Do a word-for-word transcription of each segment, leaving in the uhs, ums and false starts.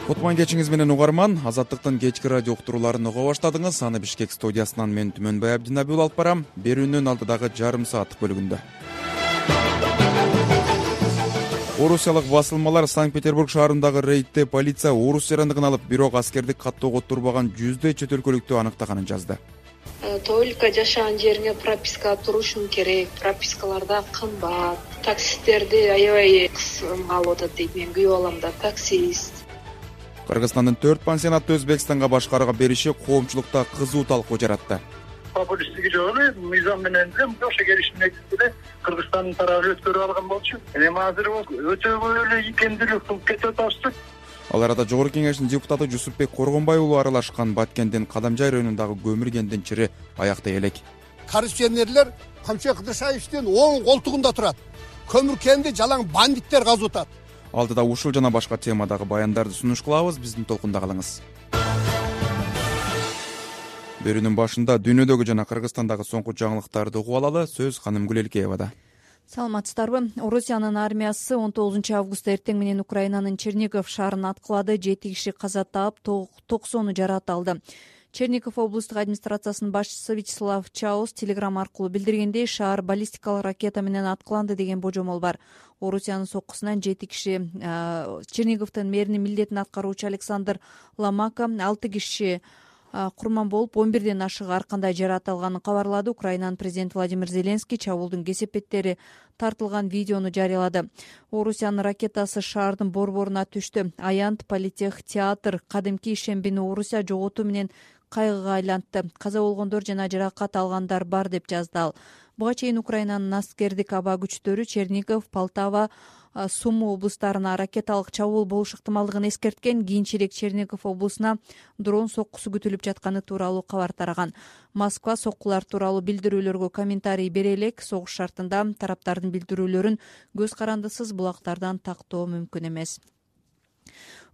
Кутман кечиңиз менен угарман. Азаттыктын кечки радио уктурууларын уга баштадыңыз. Аны Бишкек студиясынан мен Түмөнбай Абдинабил алып барам. Берүүнүн алдыдагы жарым сааттык бөлүгүндө. Орусиялык басылмалар Санкт-Петербург шаарындагы рейдте полиция орус жарандыгын алып, бирок аскерди каттоого турбаган жүздөй чет өлкөлүктү аныктаганын жазды. Только жашаган жериңе прописка турушуң керек. Пропискаларда кымбат. Таксисттерди аябай кысымга алып атат дейт. Мен күйүп алам да, таксист. Кыргызстандын төрт пансионатты Өзбекстанга башкарууга бериши коомчулукта кызуу талкуу жаратты. Популисттиги жок эле, мыйзам менен эле ошо келишим негизинде Кыргызстандын тарабы өткөрүп алган болчу. Эми азыр өтө көп эле икемдүүлүк кылып кетип атабыз. Ал арада Жогорку Кеңештин депутаты Жусупбек Коргонбай уулу аралашкан Баткендин Кадамжай районундагы көмүр кендин чири аяктай элек. Коррупционерлер Камчы Кыдыршаевдин оң колтугунда турат. Көмүр кенди жалаң бандиттер казып атат. Алдыда ушул жана башка темадагы баяндарды сунуш кылабыз. Биздин толкунда калыңыз. Берүүнүн башында дүйнөдөгү жана Кыргызстандагы соңку жаңылыктарды угуп алалы. Сөз ханым Гүлелкеевада. Саламатсыздарбы? Орусиянын армиясы он тогузунчу августта эртең менен Украинанын Чернигов шаарын аткылады. жети киши каза таап, токсону жаракат алды. Чернигов облустук администрациясынын башчысы Вячеслав Чаус телеграмма аркылуу билдиргендей, шаар баллистикалык ракета менен аткыланды деген божомол бар. Орусиянын соккусунан жети киши, Черниговдун мэринин милдетин аткаруучу Александр Ломака, алты киши курман болуп, он бирден ашык ар кандай жаракат алганын кабарлады. Украинанын президенти Владимир Зеленский чабуулдун кесепеттери тартылган видеону жарыялады. Орусиянын ракетасы шаардын борборуна түштү. Аянт, политех, театр, кадимки ишембини Орусия жоготуу менен кайгыга айлантты. Каза болгондор жана жаракат алгандар бар деп жазды ал. Буга чейин Украинанын аскердик аба күчтөрү Чернигов, Полтава, Сумы облустарына ракеталык чабуул болуш ыктымалдыгын эскерткен. Кийинчерээк Чернигов облусуна дрон соккусу күтүлүп жатканы тууралуу кабар тараган. Москва соккулар тууралуу билдирүүлөргө комментарий бере элек. Согуш шартында тараптардын билдирүүлөрүн көз карандысыз булактардан тактоо мүмкүн эмес.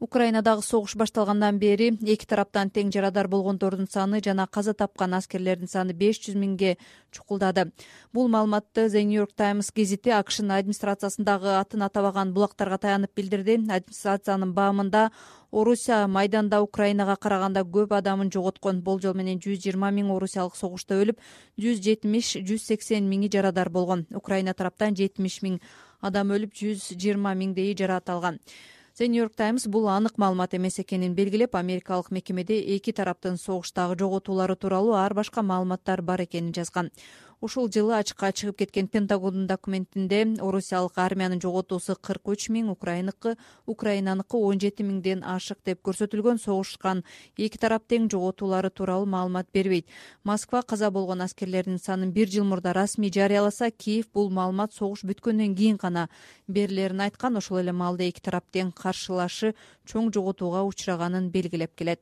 Украинадагы согуш башталгандан бери эки тараптан тең жарадар болгондордун саны жана каза тапкан аскерлердин саны беш жүз миңге чукулдады. Бул маалыматты The New York Times гезити АКШнын администрациясындагы атын атабаган булактарга таянып билдирди. Администрациянын баамында Орусия майданда Украинага караганда көп адамын жоготкон. Болжол менен жүз жыйырма миң орусиялык согушта өлүп, жүз жетимиш жүз сексен миңи жарадар болгон. Украина тараптан жетимиш миң адам өлүп, жүз жыйырма миңдейи жаракат алган. The New York Times бул анык маалымат эмес экенин белгилеп, америкалык мекемеде эки тараптын согуштагы жоготуулары тууралуу ар башка маалыматтар бар экенин жазган. Ушул жылы ачыкка чыгып кеткен Пентагондун документинде орусиялык армиянын жоготуусу кырк үч миң, Украиныкы Украинаныкы он жети миңден ашык деп көрсөтүлгөн. Согушкан эки тарап тең жоготуулары тууралуу маалымат бербейт. Москва каза болгон аскерлердин санын бир жыл мурда расмий жарыяласа, Киев бул маалымат согуш бүткөндөн кийин гана берилерин айткан. Ошол эле маалда эки тарап тең каршылашы чоң жоготууга учураганын белгилеп келет.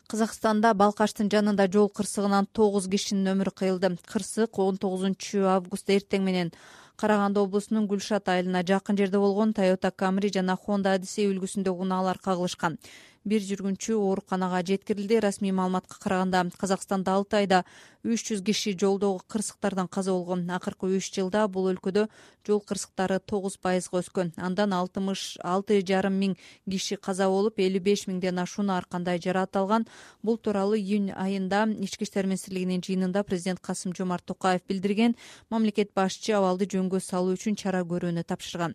Казакстанда Балкаштын жанында жол кырсыгынан тогуз кишинин өмүрү кыйылды. Кырсык он тогузунчу августта эртең менен Караганды облусунун Гүлшат айылына жакын жерде болгон. Toyota Camry жана Honda Odyssey үлгүсүндөгү унаалар кагылышкан. Бир жүргүнчү ооруканага жеткирилди. Расмий маалыматка караганда Казакстанда алты айда үч жүз киши жолдогу кырсыктардан каза болгон. Акыркы үч жылда бул өлкөдө жол кырсыктары тогуз пайызга өскөн. Андан алтымыш алты жарым миң киши каза болуп, элүү беш миңден ашууну ар кандай жаракат алган. Бул тууралуу июнь айында Ички иштер министрлигинин жыйынында президент Касым Жомарт Токаев билдирген. Мамлекет башчы абалды жөнгө салуу үчүн чара көрүүнү тапшырган.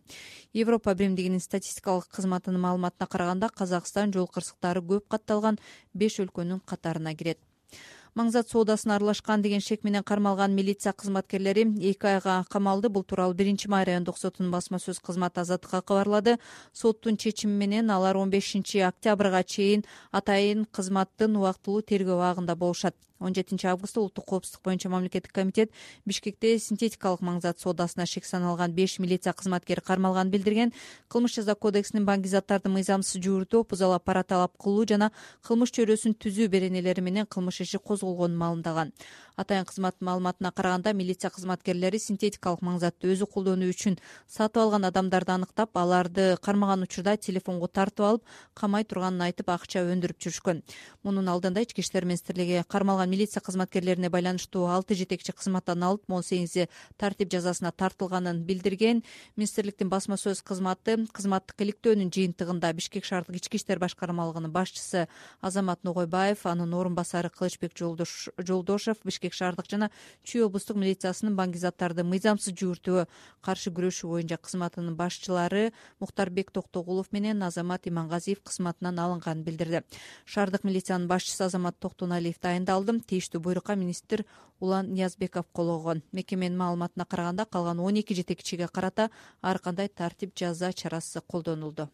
Европа биримдигинин статистикалык кызматынын маалыматына караганда Казакстан жол кырсыктары көп катталган беш өлкөнүн катарына кирет. Маңзат соодасына аралашкан деген шек менен кармалган милиция кызматкерлери эки айга камалды. Бул тууралуу биринчи май райондук сотунун басма сөз кызматы Азаттыкка кабарлады. Соттун чечими менен алар он бешинчи октябрга чейин атайын кызматтын убактылуу тергөө абагында болушат. он жетинчи августта улуттук коопсуздук боюнча мамлекеттик комитет Бишкекте синтетикалык маңзат соодасына шек саналган беш милиция кызматкери кармалганын билдирген. Кылмыш жаза кодексинин баңги заттарды мыйзамсыз жууртуу, бузала пара талап кылуу жана кылмыш чөйрөсүн түзүү беренелери менен кылмыш иши козголгонун маалымдаган. Атайын кызмат маалыматына караганда милиция кызматкерлери синтетикалык маңзатты өзү колдонуу үчүн сатып алган адамдарды аныктап, аларды кармаган учурда телефонго тартып алып, камай турганын айтып акча өндүрүп жүрүшкөн. Мунун алдында Ички иштер министрлиги кармалган алган милиция кызматкерлерине байланыштуу алты жетекчи кызматтан алып, он сегизи тартип жазасына тартылганын билдирген. Министрликтин басма сөз кызматы кызматтык иликтөөнүн жыйынтыгында Бишкек шаардык ички иштер башкармалыгынын башчысы Азамат Ногойбаев, анын орун басары Кылычбек Жолдошев, Бишкек шаардык жана Чүй облустук милициясынын баңгизаттарды мыйзамсыз жүгүртүүгө каршы күрөшүү боюнча кызматынын башчылары Мухтарбек Токтогулов менен Азамат Имангазиев кызматынан алынганын билдирди. Шаардык милициянын башчысы Азамат Токтоналиев дайындалды. Тийиштүү буйрукка министр Улан Ниязбеков кол койгон. Мекеменин маалыматына караганда калган он эки жетекчиге карата ар кандай тартип жаза чарасы колдонулду.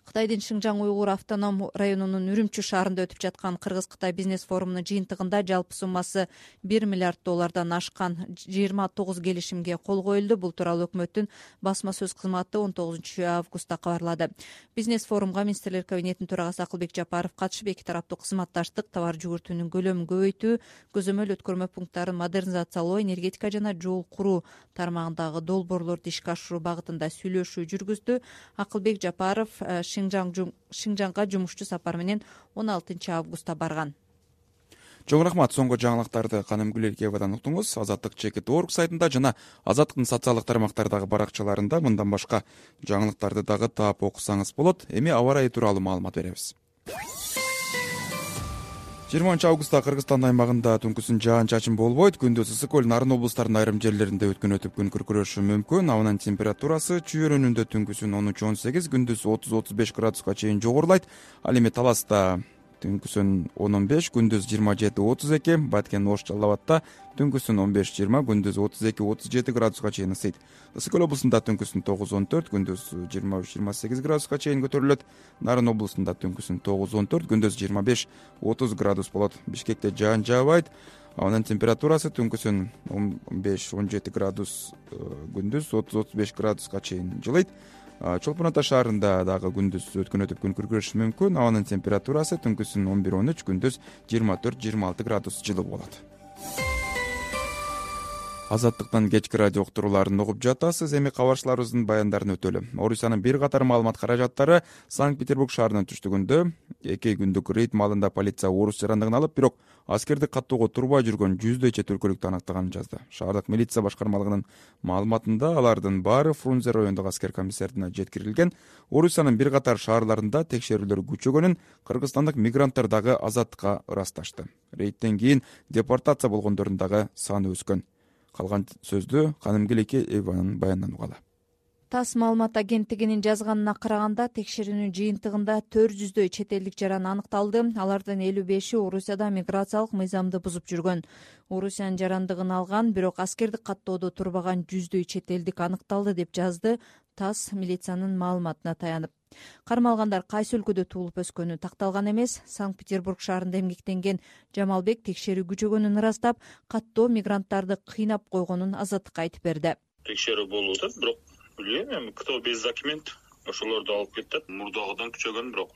Кытайдын Шыңжаң уйгур автоном районунун Үрүмчү шаарында өтүп жаткан Кыргыз-Кытай бизнес форумунун жыйынтыгында жалпы суммасы бир миллиард доллардан ашкан жыйырма тогуз келишимге кол коюлду. Бул тууралуу өкмөттүн басма сөз кызматы он тогузунчу августта кабарлады. Бизнес форумга министрлер кабинетинин төрагасы Акылбек Жапаров катышып, эки тараптуу кызматташтык, товар жүгүртүүнүн көлөмүн көбөйтүү, көзөмөл өткөрмө пункттарын модернизациялоо, энергетика жана жол куруу тармагындагы долбоорлорду ишке ашыруу багытында сүйлөшүү жүргүздү. Акылбек Жапаров Шыңжаңга жумушчу сапар менен он алтынчы августта барган. Чоң рахмат. Соңку жаңылыктарды Каным Гүлелкеевадан уктуңуз. Азаттык чекит точка орг сайтында жана Азаттыктын социалдык тармактардагы баракчаларында мындан башка жаңылыктарды дагы таап окусаңыз болот. Эми аба ырайы тууралуу маалымат беребиз. жыйырманчы августта Кыргызстан аймагында түнкүсүн жаан-чачын болбойт. Күндүз ысык көл, Нарын облустарынын айрым жерлеринде өткөн-өтүп күн күркүрөшү мүмкүн. Абанын температурасы Чүй өрөөнүндө түнкүсүн он үч он сегиз, күндүз отуз отуз беш градуска чейин жогорулайт. Ал эми Таласта түнкүсүн он он беш, күндүз жыйырма жети отуз эки, Баткен Ош Жалал Абадта түнкүсүн он беш жыйырма, күндүз отуз эки отуз жети градуска чейин ысыйт. Ысык көл облусунда түнкүсүн тогуз он төрт, күндүз жыйырма үч жыйырма сегиз градуска чейин көтөрүлөт. Нарын облусунда түнкүсүн тогуз он төрт, күндүз жыйырма беш отуз градус болот. Бишкекте жаан жаабайт. Абанын температурасы түнкүсүн он беш он жети градус, күндүз отуз отуз беш градуска чейин жылыйт. Чолпон Ата шаарында дагы күндүз өткөн-өтүп күн күркүрөшү мүмкүн. Абанын температурасы түнкүсүн он бир он үч, күндүз жыйырма төрт жыйырма алты градус жылы болот. Азаттыктан кечки радио уктурууларын угуп жатасыз. Эми кабарчыларыбыздын баяндарын өтөлү. Орусиянын бир катар маалымат каражаттары Санкт-Петербург шаарынын түштүгүндө эки күндүк рейд маалында полиция орус жарандыгын алып, бирок аскерди каттоого турбай жүргөн жүздөй чет өлкөлүктү аныктаганын жазды. Шаардык милиция башкармалыгынын маалыматында алардын баары Фрунзе райондук аскер комиссариатына жеткирилген. Орусиянын бир катар шаарларында текшерүүлөр күчөгөнүн кыргызстандык мигранттар дагы Азаттыкка ырасташты. Рейдтен кийин депортация болгондордун дагы саны өскөн. Калган сөздү Каным Гүлелкееванын баянынан угалы. ТАСС маалымат агенттигинин жазганына караганда, текшерүүнүн жыйынтыгында төрт жүздөй чет элдик жаран аныкталды. Алардын элүү беши Орусияда миграциялык мыйзамды бузуп жүргөн. Орусиянын жарандыгын алган, бирок аскердик каттоодо турбаган жүздөй чет элдик аныкталды деп жазды ТАСС милициянын маалыматына таянып. Кармалгандар кайсы өлкөдө туулуп өскөнү такталган эмес. Санкт-Петербург шаарында эмгектенген Жамалбек текшерүү күчөгөнүн ырастап, каттоо мигранттарды кыйнап койгонун Азаттыкка айтып берди. Текшерүү болуп атат, бирок билбейм эми кто без документ ошолорду алып кетет. Мурдагыдан күчөгөн, бирок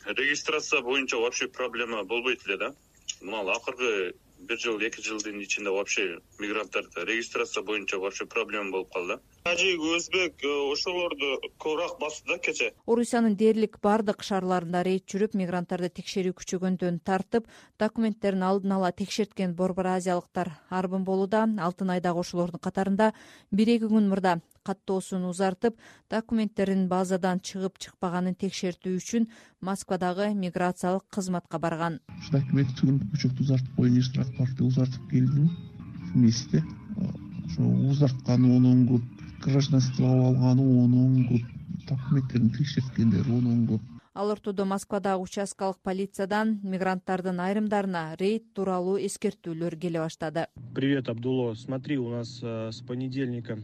регистрация боюнча вообще проблема болбойт эле да. Мына акыркы бир жыл эки жылдын ичинде вообще мигранттарда регистрация боюнча вообще проблема болуп калды. Тажик, өзбек ошолорду көбүрөөк басты да кече. Орусиянын дээрлик бардык шаарларында рейд жүрүп, мигранттарды текшерүү күчөгөндөн тартып, документтерин алдын ала текшерткен борбор азиялыктар арбын болууда. Алтын айдагы ошолордун катарында бир эки күн мурда каттоосун узартып, документтерин базадан чыгып чыкпаганын текшертүү үчүн Москвадагы миграциялык кызматка барган. Документ күчөктү узартып коюун, рапорту узартып келдим вместе. Ошо узартканы онун көп, гражданство алганы онун көп, документтерин текшерткендер онун көп. Ал ортодо Москвадагы участкалык полициядан мигранттардын айрымдарына рейд тууралуу эскертүүлөр келе баштады. Привет, Абдулло. Смотри, у нас с понедельника.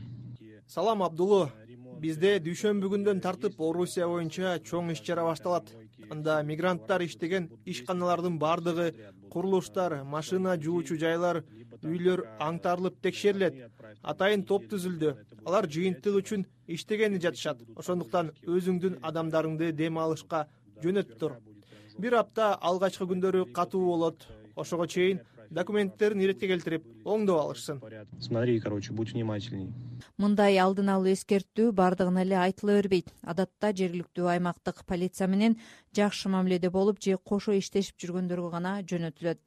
Салам, Абдулло. Бизде дүйшөмбү күндөн тартып Орусия боюнча чоң иш чара башталат. Анда мигранттар иштеген ишканалардын бардыгы, курулуштар, машина жуучу жайлар, үйлөр аңтарылып текшерилет. Атайын топ түзүлдү. Алар жыйынтык үчүн иштегени жатышат. Ошондуктан өзүңдүн адамдарыңды дем алышка жөнөтүп тур. Бир апта алгачкы күндөрү катуу болот. Ошого чейин документтерин иретке келтирип оңдоп алышсын. Смотри, короче, будь внимательней. Мындай алдын алуу эскертүү бардыгына эле айтыла бербейт. Адатта жергиликтүү аймактык полиция менен жакшы мамиледе болуп же кошо иштешип жүргөндөргө гана жөнөтүлөт.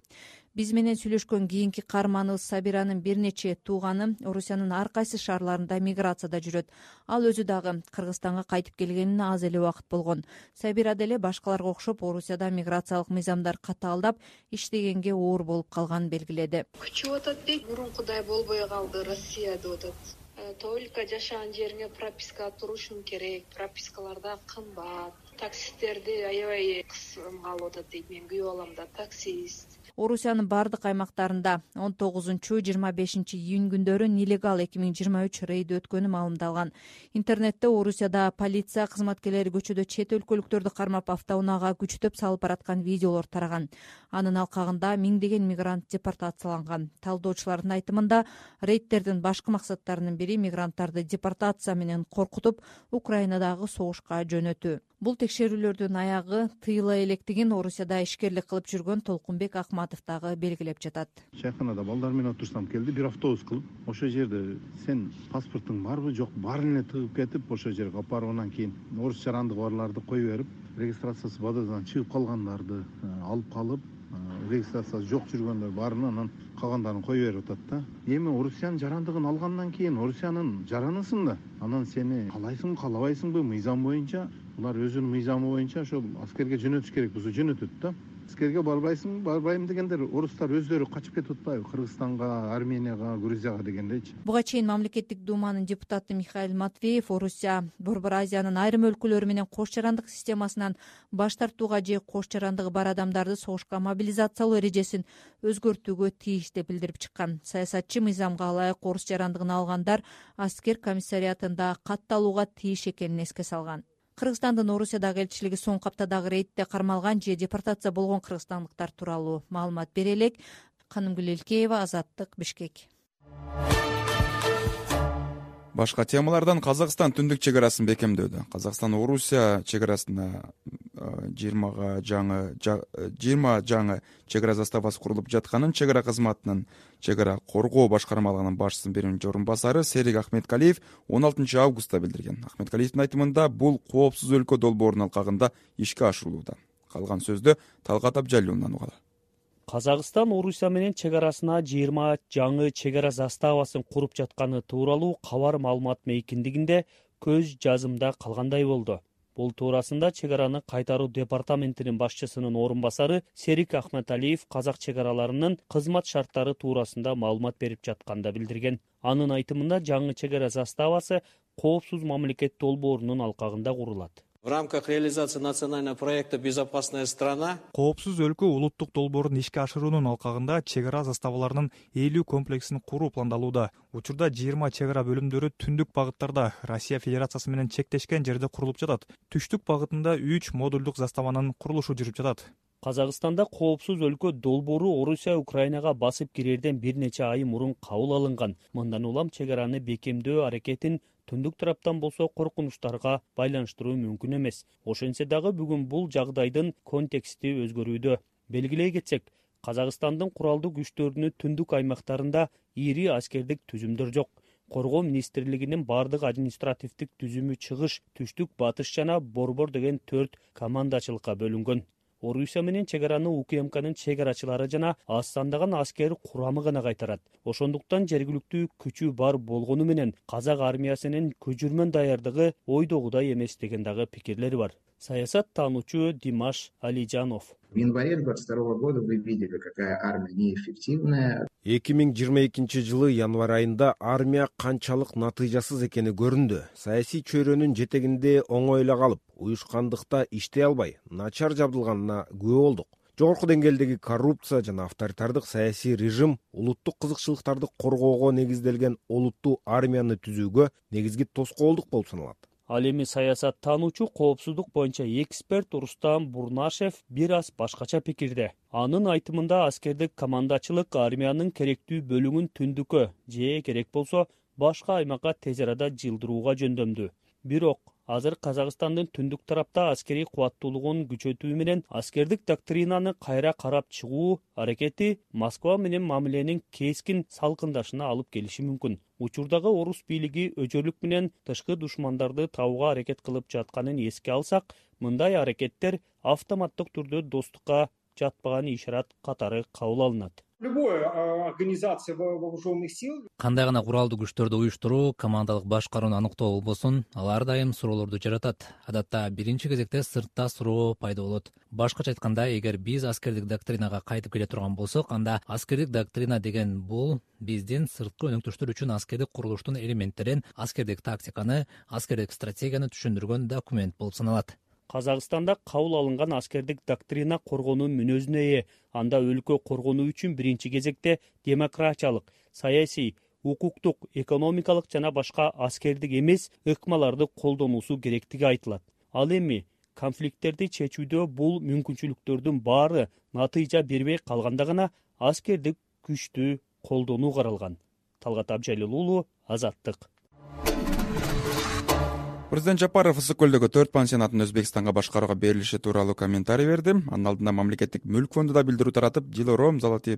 Биз менен сүйлөшкөн кийинки каарманыбыз Сабиранын бир нече тууганы Орусиянын ар кайсы шаарларында миграцияда жүрөт. Ал өзү дагы Кыргызстанга кайтып келгенине аз эле убакыт болгон. Сабира деле башкаларга окшоп Орусияда миграциялык мыйзамдар катаалдап, иштегенге оор болуп калганын белгиледи. Күчүп атат дейт, мурункудай болбой калды Россия деп атат. Только жашаган жериңе прописка турушуң керек, пропискаларда кымбат. Таксисттерди аябай кысымга алып атат дейт. Мен күйөө балам да таксист. Орусиянын бардык аймактарында он тогузунчу жыйырма бешинчи июнь күндөрү нелегал эки миң жыйырма үч рейд өткөнү маалымдалган. Интернетте Орусияда полиция кызматкерлери көчөдө чет өлкөлүктөрдү кармап автоунаага күчтөп салып бараткан видеолор тараган. Анын алкагында миңдеген мигрант депортацияланган. Талдоочулардын айтымында рейдтердин башкы максаттарынын бири мигранттарды депортация менен коркутуп, Украинадагы согушка жөнөтүү. Бул текшерүүлөрдүн аягы тыйыла электигин Орусияда ишкерлик кылып жүргөн Толкунбек Акматов дагы белгилеп жатат. Чайканада балдар менен отурсам келди, бир автобус кылып, ошол жерде сен паспортуң барбы, жок, баарын эле тыгып кетип, ошол жерге алып барып, анан кийин орус жарандыгы барларды кое берип, регистрациясы базадан чыгып калгандарды алып калып, регистрациясы жок жүргөндөр баарын анан калгандарын кое берип атат да. Эми Орусиянын жарандыгын алгандан кийин Орусиянын жаранысың да, анан сени каалайсыңбы, каалабайсыңбы мыйзам боюнча, булар өзүнүн мыйзамы боюнча ошол аскерге жөнөтүш керек болсо жөнөтөт да. Аскерге барбайсың, барбайм дегендер орустар өздөрү качып кетип атпайбы Кыргызстанга, Арменияга, Грузияга дегендейчи. Буга чейин мамлекеттик думанын депутаты Михаил Матвеев Орусия Борбор Азиянын айрым өлкөлөрү менен кош жарандык системасынан баш тартууга же кош жарандыгы бар адамдарды согушка мобилизациялоо эрежесин өзгөртүүгө тийиш деп билдирип чыккан. Саясатчы мыйзамга ылайык орус жарандыгын алгандар аскер комиссариатында катталууга тийиш экенин эске салган. Кыргызстандын Орусиядагы элчилиги соңку аптадагы рейдте кармалган же депортация болгон кыргызстандыктар тууралуу маалымат бере элек. Канымгүл Элкеева, Азаттык, Бишкек. Башка темалардан Казакстан түндүк чек арасын бекемдөөдө. Казакстан Орусия чек арасына жыйырмага жаңы жыйырма жаңы чек ара заставасы курулуп жатканын чек ара кызматынын чек ара коргоо башкармалыгынын башчысынын биринчи орун басары Серик Ахметкалиев он алтынчы августта билдирген. Ахметкалиевдин айтымында бул коопсуз өлкө долбоорунун алкагында ишке ашырылууда. Калган сөздү Талгат Абжалиевден угалы. Казакстан Орусия менен чек арасына жыйырма жаңы чек ара заставасын куруп жатканы тууралуу кабар маалымат мейкиндигинде көз жазымда калгандай болду. Бул туурасында чек араны кайтаруу департаментинин башчысынын орун басары Серик Ахметалиев казак чек араларынын кызмат шарттары туурасында маалымат берип жатканда билдирген. Анын айтымында жаңы чек ара заставасы коопсуз мамлекет долбоорунун алкагында курулат. В рамках реализации национального проекта «Безопасная страна» коопсуз өлкө улуттук долбоорун ишке ашыруунун алкагында чек ара заставаларынын элүү комплексин куруу пландалууда. Учурда жыйырма чек ара бөлүмдөрү түндүк багыттарда Россия Федерациясы менен чектешкен жерде курулуп жатат. Түштүк багытында үч модулдук заставанын курулушу жүрүп жатат. Казакстанда коопсуз өлкө долбоору Орусия Украинага басып кирерден бир нече ай мурун кабыл алынган. Мындан улам чек араны бекемдөө аракетин түндүк тараптан болсо коркунучтарга байланыштыруу мүмкүн эмес. Ошентсе дагы бүгүн бул жагдайдын контексти өзгөрүүдө. Белгилей кетсек, Казакстандын куралдуу күчтөрүнүн түндүк аймактарында ири аскердик түзүмдөр жок. Коргоо министрлигинин бардык административдик түзүмү чыгыш, түштүк, батыш жана борбор деген төрт командачылыкка бөлүнгөн. Орусия менен чек араны УКМКнын чек арачылары жана аз сандаган аскер курамы гана кайтарат. Ошондуктан жергиликтүү күчү бар болгону менен казак армиясынын көчүрмөн даярдыгы ойдогудай эмес деген дагы пикирлер бар. Саясат таануучу Димаш Алижанов. В январе двадцать второго года вы видели, какая армия неэффективная. эки миң жыйырма экинчи жылы январь айында армия канчалык натыйжасыз экени көрүндү. Саясий чөйрөнүн жетегинде оңой эле калып, уюшкандыкта иштей албай, начар жабдылганына күбө болдук. Жогорку деңгээлдеги коррупция жана авторитардык саясий режим улуттук кызыкчылыктарды коргоого негизделген олуттуу армияны түзүүгө негизги тоскоолдук болуп саналат. Ал эми саясат таануучу, коопсуздук боюнча эксперт Рустам Бурнашев бир аз башкача пикирде. Анын айтымында аскердик командачылык армиянын керектүү бөлүгүн түндүккө же керек болсо башка аймакка тез арада жылдырууга жөндөмдүү. Бирок азыр Казакстандын түндүк тарапта аскерий кубаттуулугун күчөтүү менен аскердик доктринаны кайра карап чыгуу аракети Москва менен мамиленин кескин салкындашына алып келиши мүмкүн. Учурдагы орус бийлиги өчөрлүк менен тышкы душмандарды табууга аракет кылып жатканын эске алсак, мындай аракеттер автоматтык түрдө достукка жатпаган ишарат катары кабыл алынат. Кандай гана куралдуу күчтөрдү уюштуруу, командалык башкарууну аныктоо болбосун, алар дайым суроолорду жаратат. Адатта биринчи кезекте сыртта суроо пайда болот. Башкача айтканда, эгер биз аскердик доктринага кайтып келе турган болсок, анда аскердик доктрина деген бул биздин сырткы өнөктөштөр үчүн аскердик курулуштун элементтерин, аскердик тактиканы, аскердик стратегияны түшүндүргөн документ болуп саналат. Казакстанда кабыл алынган аскердик доктрина коргонуу мүнөзүнө ээ. Анда өлкө коргонуу үчүн биринчи кезекте демократиялык, саясий, укуктук, экономикалык жана башка аскердик эмес ыкмаларды колдонуусу керектиги айтылат. Ал эми конфликттерди чечүүдө бул мүмкүнчүлүктөрдүн баары натыйжа бербей калганда гана аскердик күчтү колдонуу каралган. Талгат Абжалил уулу, Азаттык. Президент Жапаров Ысык көлдөгү төрт пансионатын Өзбекстанга башкарууга берилиши тууралуу комментарий берди. Анын алдында мамлекеттик мүлк фонду да билдирүү таратып, Дилором, Золотые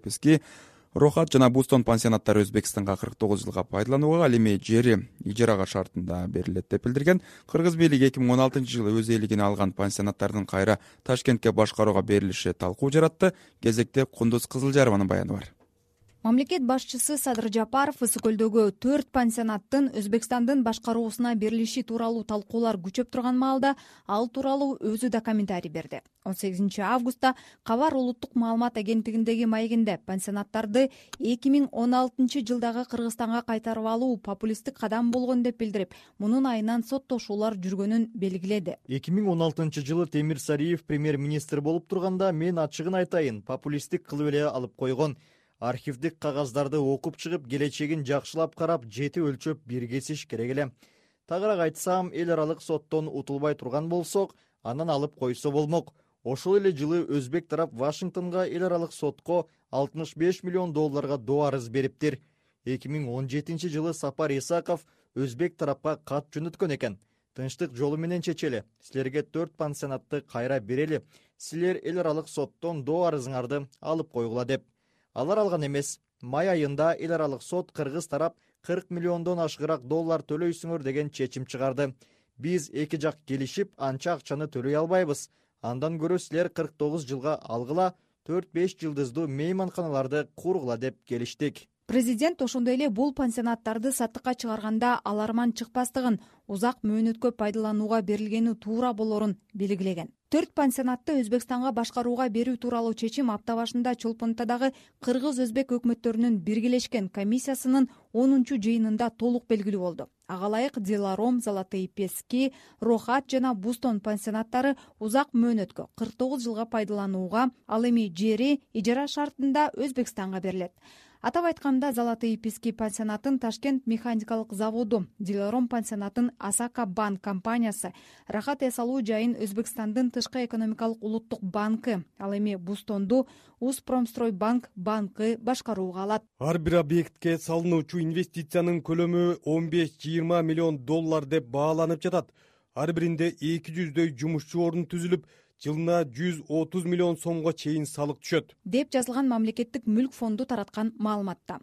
Рохат жана Бустон пансионаттары Өзбекстанга кырк тогуз жылга пайдаланууга, ал эми жери ижарага шартында берилет деп билдирген. Кыргыз бийлиги эки миң он алтынчы жылы өз ээлигине алган пансионаттардын кайра Ташкентке башкарууга берилиши талкуу жаратты. Кезекте Кундуз Кызылжарованын баяны бар. Мамлекет башчысы Садыр Жапаров Ысык көлдөгү төрт пансионаттын Өзбекстандын башкаруусуна берилиши тууралуу талкуулар күчөп турган маалда ал тууралуу өзү да комментарий берди. он сегизинчи августта Кабар улуттук маалымат агенттигиндеги маегинде пансионаттарды эки миң он алтынчы жылдагы Кыргызстанга кайтарып алуу популисттик кадам болгон деп билдирип, мунун айынан соттошуулар жүргөнүн белгиледи. эки миң он алтынчы жылы Темир Сариев премьер-министр болуп турганда мен ачыгын айтайын, популисттик кылып эле алып койгон. Архивдик кагаздарды окуп чыгып, келечегин жакшылап карап, жети өлчөп бир кесиш керек эле. Тагыраак айтсам, эл аралык соттон утулбай турган болсок, анан алып койсо болмок. Ошол эле жылы өзбек тарап Вашингтонго эл аралык сотко алтымыш беш миллион долларга доо арыз бериптир. эки миң он жетинчи жылы Сапар Исаков өзбек тарапка кат жөнөткөн экен. Тынчтык жолу менен чечели. Силерге төрт пансионатты кайра берели. Силер эл аралык соттон доо арызыңарды алып койгула деп. Алар алган эмес. Май айында эл аралык сот Кыргыз тарап кырк миллиондон ашыгыраак доллар төлөйсүңөр деген чечим чыгарды. Биз эки жак келишип, анча акчаны төлөй албайбыз. Андан көрө силер кырк тогуз жылга алгыла, төрт беш жылдыздуу мейманканаларды кургула деп келиштик. Президент ошондой эле бул пансионаттарды саттыкка чыгарганда аларман чыкпастыгын, узак мөөнөткө пайдаланууга берилгени туура болорун белгилеген. Төрт пансионатты Өзбекстанга башкарууга берүү тууралуу чечим апта башында Чолпонтадагы кыргыз-өзбек өкмөттөрүнүн биргелешкен комиссиясынын онунчу жыйынында толук белгилүү болду. Ага ылайык Дилором, Золотые Пески, Рохат жана Бустон пансионаттары узак мөөнөткө кырк тогуз жылга пайдаланууга, ал эми жери ижара шартында Өзбекстанга берилет. Атап айтканда, Золотые Пески пансионатын Ташкент механикалык заводу, Дилором пансионатын Асака банк компаниясы, Рахат эс алуу жайын Өзбекстандын тышкы экономикалык улуттук банкы, ал эми Бустонду Успромстройбанк банкы башкарууга алат. Ар бир объектке салынуучу инвестициянын көлөмү он беш жыйырма миллион доллар деп бааланып жатат. Ар биринде эки жүздөй жумушчу орун түзүлүп, жылына жүз отуз миллион сомго чейин салык түшөт, деп жазылган мамлекеттик мүлк фонду тараткан маалыматта.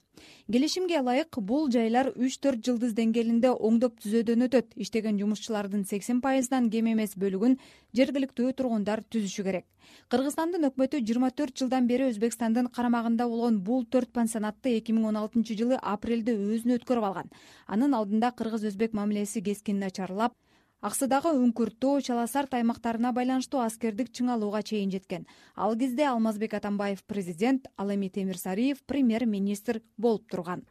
Келишимге ылайык бул жайлар үч төрт жылдыз деңгээлинде оңдоп түзөөдөн өтөт. Иштеген жумушчулардын сексен пайыздан кем эмес бөлүгүн жергиликтүү тургундар түзүшү керек. Кыргызстандын өкмөтү жыйырма төрт жылдан бери Өзбекстандын карамагында болгон бул төрт пансионатты эки миң он алтынчы жылы апрелде өзүнө өткөрүп алган. Анын алдында кыргыз-өзбек мамилеси кескин начарлап, аксыдагы үңкүртөө, чаласарт аймактарына байланыштуу аскердик чыңалууга чейин жеткен. Ал кезде Алмазбек Атамбаев президент, ал эми Темир Сариев премьер-министр болуп турган.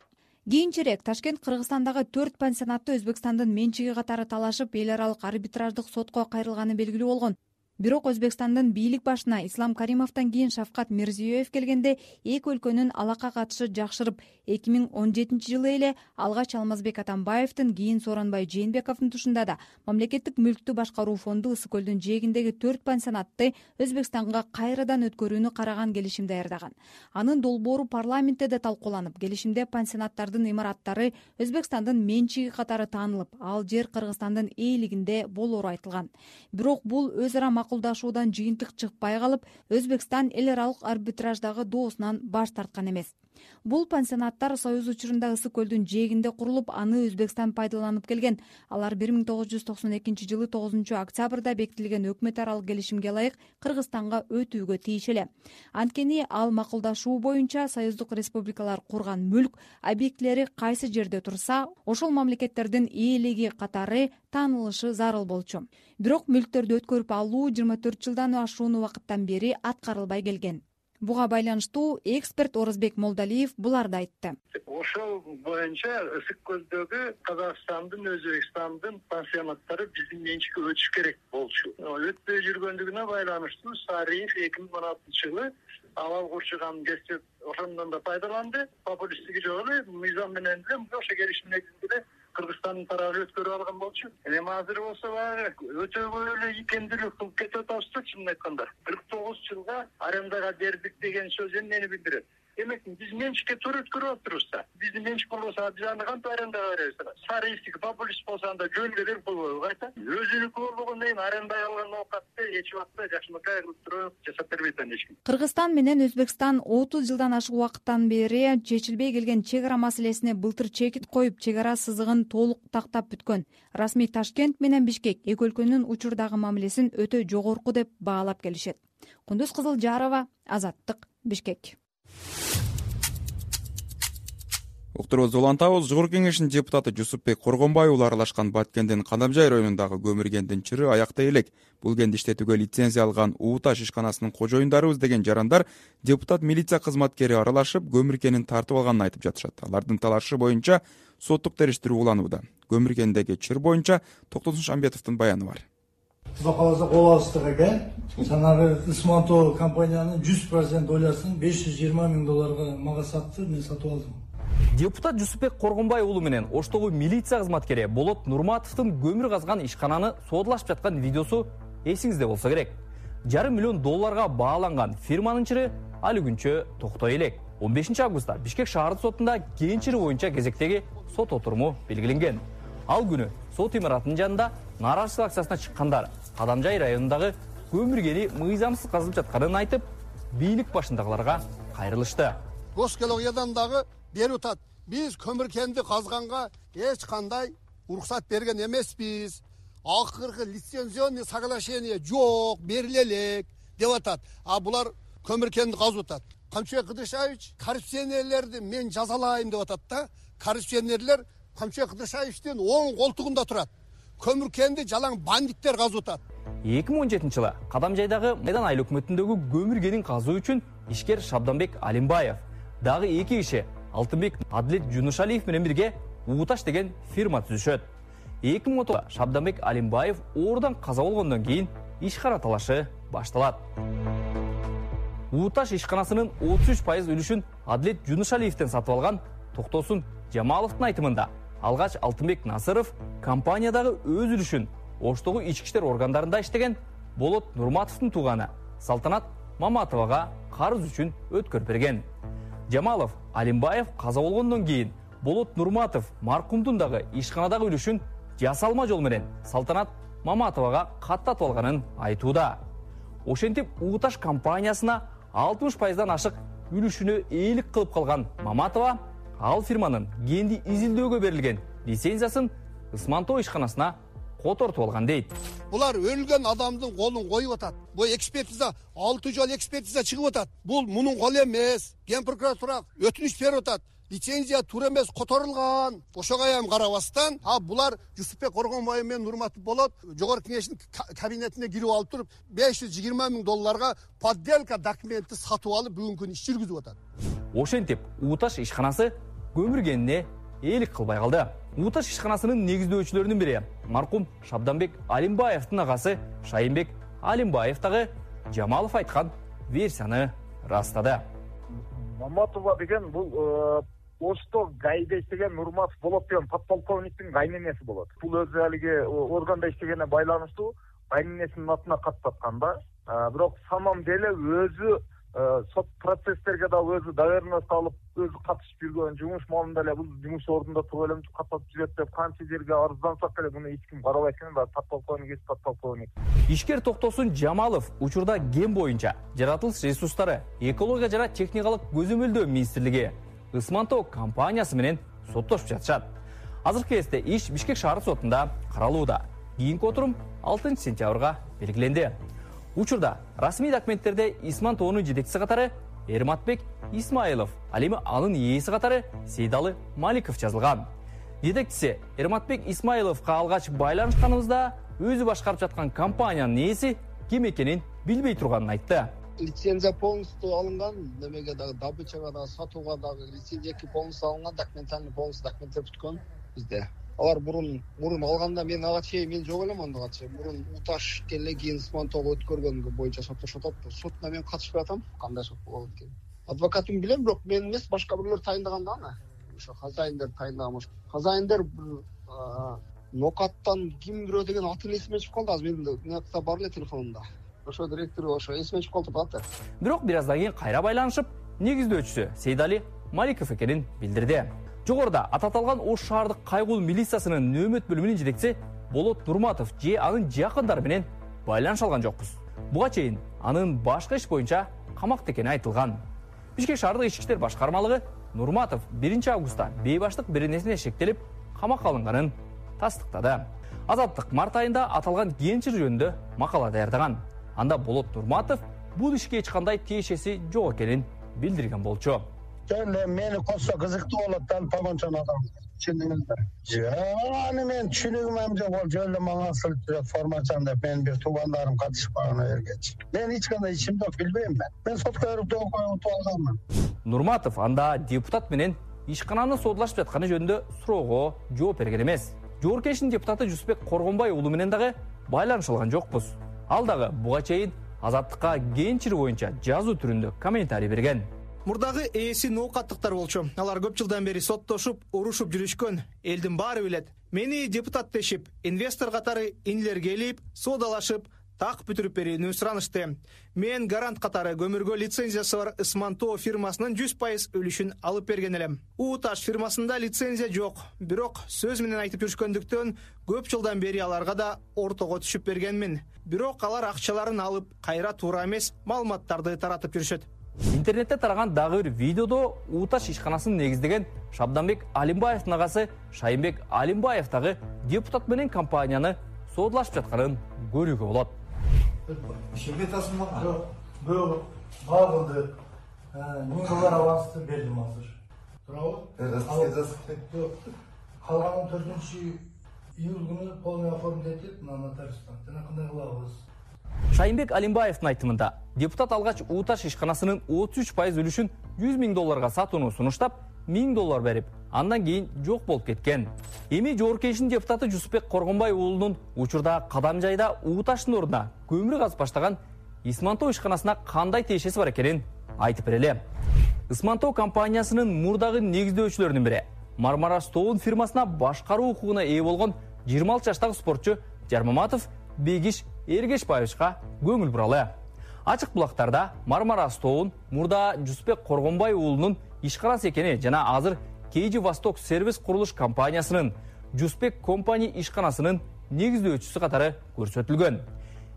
Кийинчерээк Ташкент Кыргызстандагы төрт пансионатты Өзбекстандын менчиги катары талашып, эл аралык арбитраждык сотко кайрылганы белгилүү болгон. Бирок Өзбекстандын бийлик башына Ислам Каримовдон кийин Шавкат Мирзиёев келгенде эки өлкөнүн алака катышы жакшырып, эки миң он жетинчи жылы эле алгач Алмазбек Атамбаевдин, кийин Сооронбай Жээнбековдун тушунда да мамлекеттик мүлктү башкаруу фонду Ысык көлдүн жээгиндеги төрт пансионатты Өзбекстанга кайрадан өткөрүүнү караган келишим даярдаган. Анын долбоору парламентте да талкууланып, келишимде пансионаттардын имараттары Өзбекстандын менчиги катары таанылып, ал жер Кыргызстандын ээлигинде болоору айтылган. Бирок бул өз ара макулдашуудан жыйынтык чыкпай калып, Өзбекстан эл аралык арбитраждагы доосунан баш тарткан эмес. Бул пансионаттар Союз учурунда Ысык көлдүн жээгинде курулуп, аны Өзбекстан пайдаланып келген. Алар бир миң тогуз жүз токсон экинчи жылы тогузунчу октябрда бекитилген өкмөт аралык келишимге ылайык Кыргызстанга өтүүгө тийишеле. Анткени ал макулдашуу боюнча союздук республикалар курган мүлк объектилери кайсы жерде турса, ошол мамлекеттердин ээлиги катары таанылышы зарыл болчу. Бирок мүлктөрдү өткөрүп алуу жыйырма төрт жылдан ашуун убакыттан бери аткарылбай келген. Буга байланыштуу эксперт Орозбек Молдалиев буларды айтты. Ошол боюнча Ысык көлдөгү Казакстандын, Өзбекстандын пансионаттары биздин менчикке өтүш керек болчу. Өтпөй жүргөндүгүнө байланыштуу Сариев эки миң он алтынчы жылы абал курчуган кезде ошондон да пайдаланды. Популисттиги жок эле, мыйзам менен эле ошо келишим негизинде Кыргызстандын тарабы өткөрүп алган болчу. Эми азыр болсо баягы өтөбөй эле икемдүүлүк кылып кетип атабыз да, чынын айтканда. кырк тогуз жылга арендага бердик деген сөз эмнени билдирет? Демек биз менчикке туура өткөрүп атырбыз да. Биздин менчик болбосо биз аны кантип арендага беребиз? Сариевдики популист болсо анда жөнгө берип койбойбу кайта? Өзүнүкү болгондон кийин арендага алган оокатты эч убакта жакшынакай кылып туруп жасап бербейт эч ким. Кыргызстан менен Өзбекстан отуз жылдан ашык убакыттан бери чечилбей келген чек ара маселесине былтыр чекит коюп, чек ара сызыгын толук тактап бүткөн. Расмий Ташкент менен Бишкек эки өлкөнүн учурдагы мамилесин өтө жогорку деп баалап келишет. Кундуз Кызылжарова, Азаттык, Бишкек. Уктурубузду улантабыз. Жогорку кеңештин депутаты Жусупбек Коргонбай уулу аралашкан Баткендин Кадамжай районундагы көмүр кендин чыры аяктай элек. Бул кенди иштетүүгө лицензия алган Ууташ ишканасынын кожоюндарыбыз деген жарандар депутат милиция кызматкери аралашып, көмүр кенин тартып алганын айтып жатышат. Алардын талашы боюнча соттук териштирүү уланууда. Көмүр кендеги чыр боюнча Токтосун Шамбетовдун баяны бар. Кудай кааласа кол астык экен. Жанагы Ысманто компаниянын жүз процент долясын беш жүз жыйырма миң долларга мага сатты, мен сатып алдым. Депутат Жусупбек Коргонбай уулу менен Оштогу милиция кызматкери Болот Нурматовдун көмүр казган ишкананы соодулашып жаткан видеосу эсиңизде болсо керек. Жарым миллион долларга бааланган фирманын чыры али күнчө токтой элек. он бешинчи августта Бишкек шаардык сотунда кен чыры боюнча кезектеги сот отуруму белгиленген. Ал күнү сот имаратынын жанында нааразычылык акциясына чыккандар Кадамжай районундагы көмүр кени мыйзамсыз казылып жатканын айтып, бийлик башындагыларга кайрылышты. Госкологиядан дагы берип атат. Биз көмүр кенди казганга эч кандай уруксат берген эмеспиз. Акыркы лицензионный соглашение жок, бериле элек деп атат. А булар көмүр кенди казып атат. Камчыбек Кыдыршаевич коррупционерлерди мен жазалайм деп атат да. Коррупционерлер Камчыбек Кыдыршаевичтин оң колтугунда турат. Көмүр кенди жалаң бандиттер казып атат. эки миң он жетинчи жылы Кадамжайдагы Майдан айыл өкмөтүндөгү көмүр кенин казуу үчүн ишкер Шабданбек Алимбаев, дагы эки киши Алтынбек Адлет Жунушалиев менен бирге Ууташ деген фирма түзүшөт. эки миң он тогузда Шабданбек Алимбаев оорудан каза болгондон кийин ишкана талашы башталат. Ууташ ишканасынын отуз үч пайыз үлүшүн Адлет Жунушалиевден сатып алган Токтосун Жамаловдун айтымында алгач Алтынбек Насыров компаниядагы өз үлүшүн Оштогу ички иштер органдарында иштеген Болот Нурматовдун тууганы Салтанат Маматовага карыз үчүн өткөрүп берген. Жамалов Алимбаев каза болгондон кийин Болот Нурматов маркумдун дагы ишканадагы үлүшүн жасалма жол менен Салтанат Маматовага каттатып алганын айтууда. Ошентип Ууташ компаниясына алтымыш пайыздан ашык үлүшүнө ээлик кылып калган Маматова ал фирманын кенди изилдөөгө берилген лицензиясын Ысманто ишканасына котортуп алган дейт. Булар өлгөн адамдын колун коюп атат. Бул экспертиза алты жол экспертиза чыгып атат. Бул мунун колу эмес. Ген прокуратура өтүнүч берип атат. Лицензия туура эмес которулган. Ошого эми карабастан, а булар Жусупбек Коргонбай менен Нурматов болот жогорку кеңештин кабинетине кирип алып туруп беш жүз жыйырма миң долларга подделка документти сатып алып бүгүнкү күнү иш жүргүзүп атат. Ошентип Ууташ ишканасы көмүр кенине ээлик кылбай калды. Ууташ ишканасынын негиздөөчүлөрүнүн бири маркум Шабданбек Алимбаевдин агасы Шайынбек Алимбаев дагы Жамалов айткан версияны ырастады. Маматова деген бул Ошто гайда иштеген Нурматов болот деген подполковниктин кайненеси болот. Бул өзү алиги органда иштегенине байланыштуу кайненесинин атына каттаткан да. Бирок самом деле өзү сот процесстерге да өзү доверенность алып, өзү катышып жүргөн, жумуш маалында эле бул жумуш ордунда туруп эле каттатып жүрөт деп канча жерге арыздансак эле муну эч ким карабайт экен. Подполковник, подполковник. Ишкер Токтосун Жамалов учурда ген боюнча жаратылыш ресурстары, экология жана техникалык көзөмөлдөө министрлиги Ысмантоо компаниясы менен соттошуп жатышат. Азыркы кезде иш Бишкек шаар сотунда каралууда. Кийинки отурум алтынчы сентябрга белгиленди. Учурда расмий документтерде Исмантоонун жетекчиси катары Эрматбек Исмаилов, ал эми анын ээси катары Сейдалы Маликов жазылган. Жетекчиси Эрматбек Исмаиловго алгач байланышканыбызда өзү башкарып жаткан компаниянын ээси ким экенин билбей турганын айтты. Лицензия полностью алынган, немеге дагы добычага дагы сатууга дагы лицензия полностью алынган, документальный полностью документтер бүткөн бизде. Алар мурун мурун алганда мен ага чейин мен жок элем андыга чейин. Мурун уташ келе кийин Исмантоого өткөргөнгө боюнча соттошуп атат. Сотуна мен катышпай атам. Кандай сот болот экен? Адвокатым билем, бирок мен эмес, башка бирлер тайындаган да аны. Ошо хозяиндер тайындаган. Хозяиндер Нокаттан ким бирөө деген атын эсиме чыгып калды. Азыр менин нокта бар эле телефонумда. Ошо директор ошо эсиме чыгып калды бат. Бирок бир аздан кийин кайра байланышып, негиздөөчүсү Сейдали Маликов экенин билдирди. Жогоруда ататалган Ош шаардык кайгул милициясынын нөөмөт бөлүмүнүн жетекчиси Болот Нурматов же анын жакындары менен байланыша алган жокпуз. Буга чейин анын башка иш боюнча камакта экени айтылган. Бишкек шаардык ички иштер башкармалыгы Нурматов биринчи августта бейбаштык беренесине шектелип камакка алынганын тастыктады. Азаттык март айында аталган кенчир жөнүндө макала даярдаган. Анда Болот Нурматов бул ишке эч кандай тиешеси жок экенин билдирген болчу. Жөн мени косса кызыктуу болот да, помончон адам. Түшүндүңүзбү? Жок, аны мен түшүнүгүм жок, ол жөн эле мага асылып турат формачан деп мен бир туугандарым катышпаган эргечи. Мен эч кандай ишим жок, билбейм мен. Мен сотко барып утуп алганмын. Нурматов анда депутат менен ишкананы содулашып жатканы жөнүндө суроого жооп берген эмес. Жооркештин депутаты Жусупбек Коргонбай уулу менен дагы байланыша алган жокпуз. Ал дагы буга чейин Азаттыкка кенчир боюнча жазуу түрүндө комментарий берген. Мурдагы ээси ноокаттыктар болчу. Алар көп жылдан бери соттошуп, урушуп жүрүшкөн. Элдин баары билет. Мени депутат дешип, инвестор катары инилер келип, соодалашып, так бүтүрүп берүүнү суранышты. Мен гарант катары көмүргө лицензиясы бар Ысмантоо фирмасынын жүз пайыз үлүшүн алып берген элем. Уташ фирмасында лицензия жок, бирок сөз менен айтып жүрүшкөндүктөн көп жылдан бери аларга да ортого түшүп бергенмин. Бирок алар акчаларын алып, кайра туура эмес маалыматтарды таратып жүрүшөт. Интернетте тараган дагы бир видеодо Уташ ишканасын негиздеген Шабданбек Алимбаевдин агасы Шайымбек Алимбаев дагы депутат менен компанияны соодулашып жатканын көрүүгө болот. Ишемге тасмак жок. Бул багылды. миң доллар авансты бердим азыр. Туурабы? Калганын төртүнчү июль күнү полный оформить этип, мына нотариустан. Жана кандай кылабыз? Шайымбек Алимбаевдин айтымында, депутат алгач Уташ ишканасынын отуз үч пайыз үлүшүн жүз миң долларга сатууну сунуштап, миң доллар берип, андан кийин жок болуп кеткен. Эми Жооркештин депутаты Жусупбек Коргонбай уулунун учурда Кадам жайда Уташтын ордуна көмүр казып баштаган Исмантоо ишканасына кандай тиешеси бар экенин айтып берели. Исмантоо компаниясынын мурдагы негиздөөчүлөрүнүн бири Мармара Стоун фирмасына башкаруу укугуна ээ болгон жыйырма алты жаштагы спортчу Жармаматов Бегиш Эргешбаевичка көңүл буралы. Ачык булактарда Мармара Стоун мурда Жусупбек Коргонбай уулунун ишканасы экени жана азыр кей джи Восток сервис курулуш компаниясынын Жусупбек компани ишканасынын негиздөөчүсү катары көрсөтүлгөн.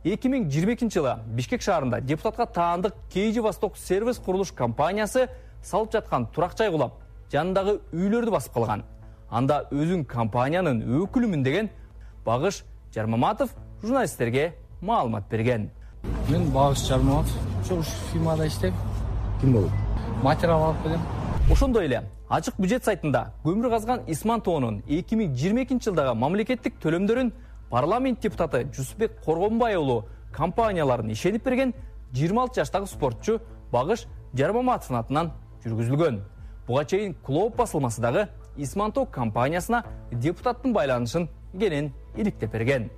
эки миң жыйырма экинчи жылы Бишкек шаарында депутатка таандык кей джи Восток сервис курулуш компаниясы салып жаткан турак жай кулап, жанындагы үйлөрдү басып калган. Анда өзүн компаниянын өкүлүмүн деген Багыш Жармаматов журналисттерге маалымат берген. Мен Багыш Жармаматов, ошол фирмада иштейм. Ким болот? Материал алып келем. Ошондой эле ачык бюджет сайтында көмүр казган Исмантоонун эки миң жыйырма экинчи жылдагы мамлекеттик төлөмдөрүн парламент депутаты Жусупбек Коргонбай уулу компанияларын ишенип берген жыйырма алты жаштагы спортчу Багыш Жармаматовдун атынан жүргүзүлгөн. Буга чейин Клоп басылмасы дагы Исмантоо компаниясына депутаттын байланышын кенен иликтеп берген.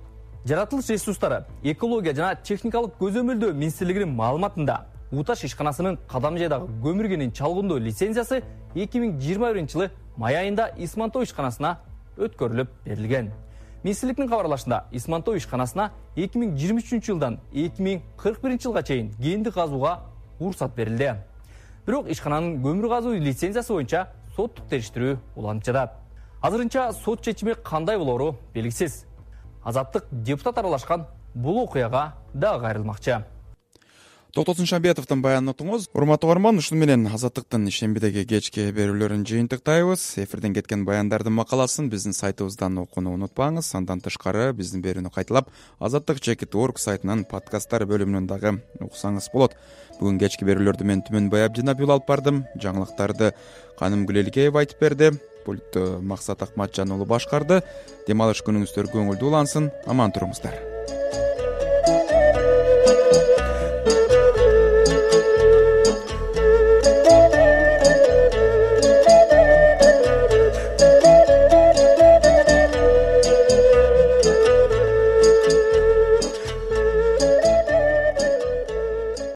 жаратылыш ресурстары, экология жана техникалык көзөмөлдөө министрлигинин маалыматында Уташ ишканасынын Кадам жайдагы көмүр кенин чалгындоо лицензиясы эки миң жыйырма биринчи жылы май айында Исмантоо ишканасына өткөрүлүп берилген. Министрликтин кабарлашында Исмантоо ишканасына эки миң жыйырма үчүнчү жылдан эки миң кырк биринчи жылга чейин кенди казууга уруксат берилди. Бирок ишкананын көмүр казуу лицензиясы боюнча соттук териштирүү уланып жатат. Азырынча сот чечими кандай болору белгисиз. Азаттык депутат аралашкан бул окуяга дагы кайрылмакчы. Токтосун Шамбетовдун баянын уктуңуз. Урматтуу угарман, ушуну менен Азаттыктын ишембидеги кечки берүүлөрүн жыйынтыктайбыз. Эфирден кеткен баяндардын макаласын биздин сайтыбыздан окууну унутпаңыз. Андан тышкары биздин берүүнү кайталап азаттык чекит точка орг сайтынын подкасттар бөлүмүнөн дагы уксаңыз болот. Бүгүн кечки берүүлөрдү мен Түмөнбай Абдинабил алып бардым. Жаңылыктарды Каным Гүлеликеева айтып берди. Пультту Максат Акматжан уулу башкарды. Дем алыш күнүңүздөр көңүлдүү улансын. Аман туруңуздар.